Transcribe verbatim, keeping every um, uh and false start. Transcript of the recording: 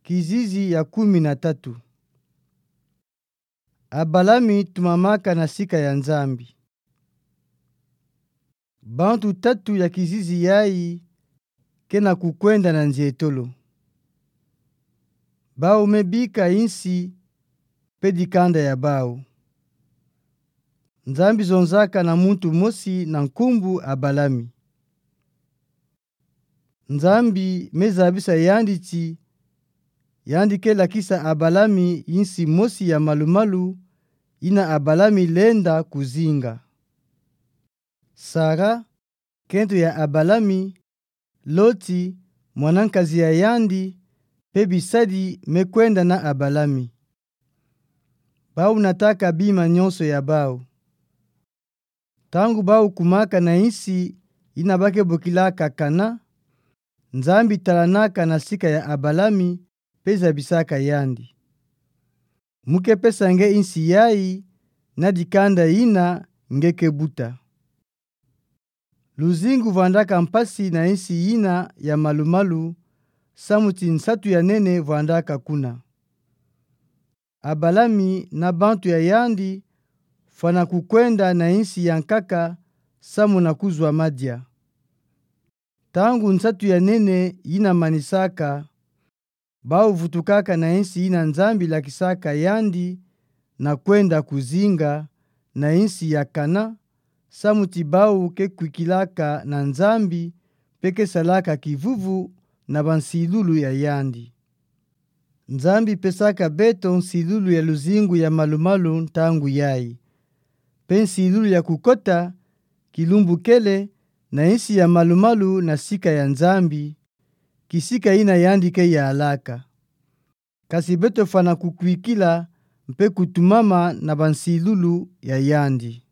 Kizizi ya kumi na tatu. Abalami tumamaka na sika ya Nzambi. Bantu tatu ya kizizi yayi ke na kukwenda na nzietolo. Bau me bika insi pe dikanda ya bau. Nzambi zonzaka na muntu mosi na nkumbu Abalami. Nzambi me zabisa yandi ti yandi ke lakisa Abalami insi mosi ya malumalu yina Abalami lenda kuzinga. Sara, kento ya Abalami, Loti, mwana nkazi ya yandi, pe bisadi me kwenda na Abalami. Bau nataka bima nyonso ya bau. Ntangu bau kumaka na insi yina ba ke bokilaka Kana, Nzambi talanaka na sika ya Abalami pe zabisaka yandi. Mu ke pesa nge insi yayi na dikanda yina nge ke buta. Luzingu vwandaka mpasi na insi yina ya malumalu, samu ti nsatu ya nene vwandaka kuna. Abalami na bantu ya yandi fwana kukwenda na insi ya nkaka samu na kuzwa madia. Ntangu nsatu ya nene yina manisaka, bau vutukaka na insi yina Nzambi lakisaka yandi na kwenda kuzinga, na insi ya Kana, samu ti bau ke kwikilaka na Nzambi, pe ke salaka kivuvu na bansilulu ya yandi. Nzambi pesaka beto nsilulu ya luzingu ya malumalu ntangu yayi. Pe nsilulu ya kukota, kilumbu kele, na insi ya malumalu na sika ya Nzambi, kisika yina yandi ke yalaka. Kasi beto fwana kukwikila mpe kutumama na bansilulu ya yandi.